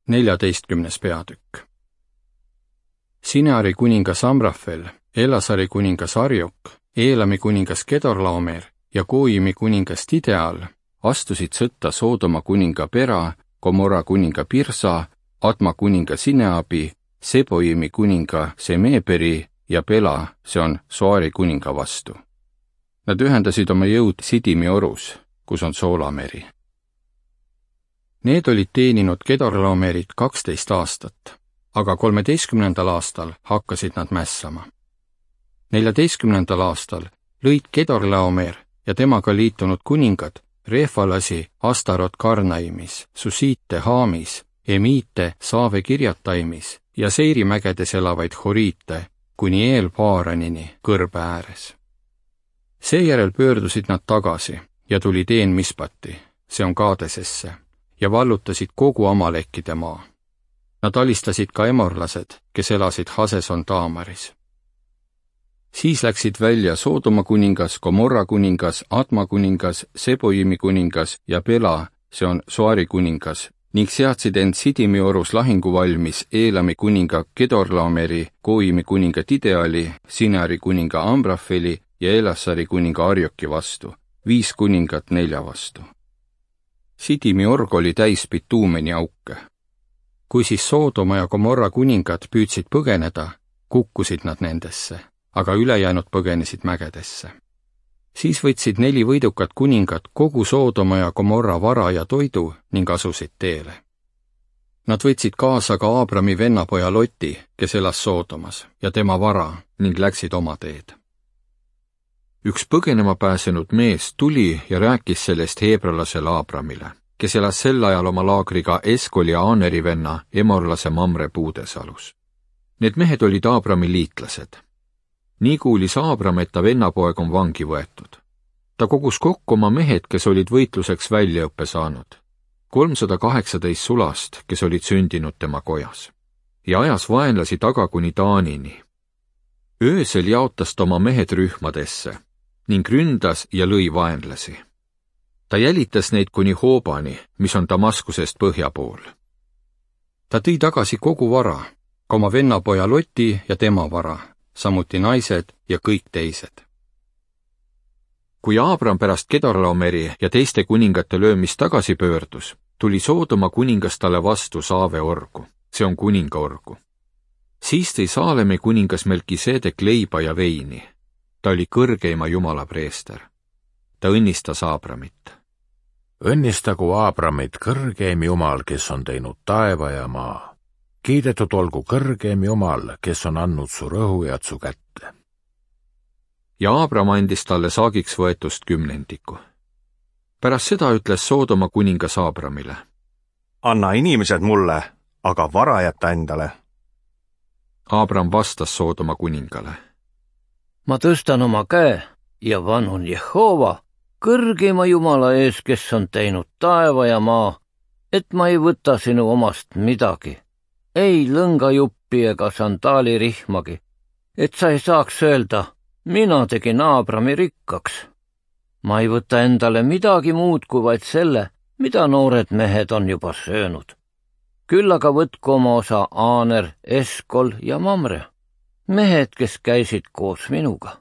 14. peatükk. Sineari kuningas Amrafel, Elasari kuningas Arjok, Eelami kuningas Kedorlaomer ja Goimi kuningas Tideal astusid sõtta Soodoma kuninga Pera, Gomorra kuninga Pirsa, Adma kuninga Sineabi, Seboimi kuninga Semeberi ja Bela, see on Soari kuninga vastu. Nad ühendasid oma jõud Sidimi orus, kus on Soolameri. Need olid teeninud Kedorlaomerit 12 aastat, aga 13. aastal hakkasid nad mässama. 14. aastal lõid Kedorlaomer ja temaga liitunud kuningad Refalasi Astarot Karnaimis, Susiite Haamis, Emiite Saave Kirjataimis ja Seirimägedes elavaid horiite kuni Eelpaaranini kõrbe ääres. Seejärel pöördusid nad tagasi ja tulid Een-Mispati, see on Kaadesesse, ja vallutasid kogu Amalekkide maa. Nad alistasid ka emorlased, kes elasid Haseson Taamaris. Siis läksid välja Soodoma kuningas, Gomorra kuningas, Adma kuningas, Seboimi kuningas ja Bela, see on Soari kuningas, ning seadsid end Sidimi orus lahinguvalmis Eelami kuninga Kedorlaomeri, Goimi kuninga Tideali, Sineari kuninga Amrafeli ja Elasari kuninga Arjoki vastu, 5 kuningat 4 vastu. Sidimi org oli täis bituumeni auke. Kui siis Soodoma ja Gomorra kuningad püüdsid põgeneda, kukkusid nad nendesse, aga ülejäänud põgenesid mägedesse. Siis võtsid 4 võidukat kuningat kogu Soodoma ja Gomorra vara ja toidu ning asusid teele. Nad võtsid kaasa ka Aabrami vennapoja Loti, kes elas Soodomas, ja tema vara ning läksid oma teed. Üks põgenema pääsenud mees tuli ja rääkis sellest heebrelasele Aabramile, kes elas sel ajal oma laagriga Eskoli ja Aaneri venna emorlase Mamre puudesalus. Need mehed olid Aabrami liitlased. Nii kuulis Aabram, et ta vennapoeg on vangi võetud. Ta kogus kokku oma mehed, kes olid võitluseks väljaõppe saanud. 318 sulast, kes olid sündinud tema kojas. Ja ajas vaenlasi taga kuni Taanini. Öösel jaotas ta oma mehed rühmadesse ning ründas ja lõi vaenlasi. Ta jälitas neid kuni Hoobani, mis on Damaskusest põhja pool. Ta tõi tagasi kogu vara, ka oma vennapoja Loti ja tema vara, samuti naised ja kõik teised. Kui Aabram pärast Kedorlaomeri ja teiste kuningate löömist tagasi pöördus, tuli Soodoma kuningas talle vastu Saave orgu, see on kuninga orgu. Siis tõi Saalemi kuningas Melkisedek leiba ja veini. Ta oli kõrgeima Jumala preester. Ta õnnistas Aabramit. Õnnistagu Aabramit kõrgeim Jumal, kes on teinud taeva ja maa. Kiidetud olgu kõrgeim Jumal, kes on andnud su rõhujad su kätte. Ja Aabram andis talle saagiks võetust 10. Pärast seda ütles Soodoma kuningas Aabramile: Anna inimesed mulle, aga vara jätta endale. Aabram vastas Soodoma kuningale: Ma tõstan oma käe ja vanun Jehova, kõrgeima Jumala ees, kes on teinud taeva ja maa, et ma ei võta sinu omast midagi, ei lõngajuppi ega sandaalirihmagi, et sa ei saaks öelda, mina tegin Aabrami rikkaks. Ma ei võta endale midagi muud kui vaid selle, mida noored mehed on juba söönud. Küll aga võtku oma osa Aaner, Eskol ja Mamre, mehed, kes käisid koos minuga.